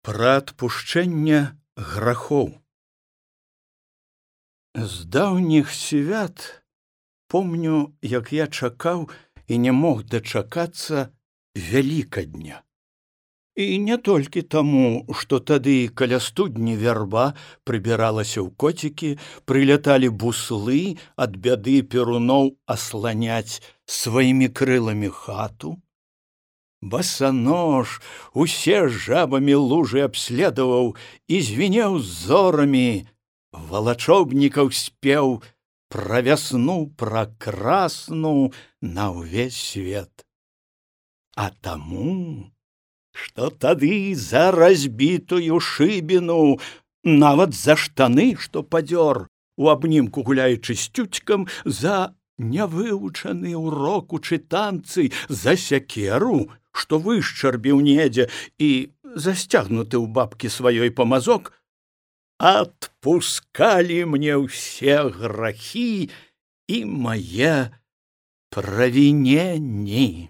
Пра адпушчэнне грахоў. З даўніх свят помню, як я чакаў і не мог дачакацца Вялікадня. І не толькі таму, што тады каля студні вярба прыбіралася ў коцікі, прыляталі буслы ад бяды перуноў асланяць сваімі крыламі хату. Басанож усе жабамі лужы абследаваў і звінеў зорамі, валачобнікаў спеў пра вясну пракрасну на ўвесь свет. А таму, што тады за разбітую шыбіну, нават за штаны, што падзёр, у абнімку гуляючы з цюцькам, за нявывучаны ўрок у чытанцы, за сякеру, што вышчарбіў недзе і засцягнуты ў бабкі сваёй памазок, адпускалі мне ўсе грахі і мае правіненні.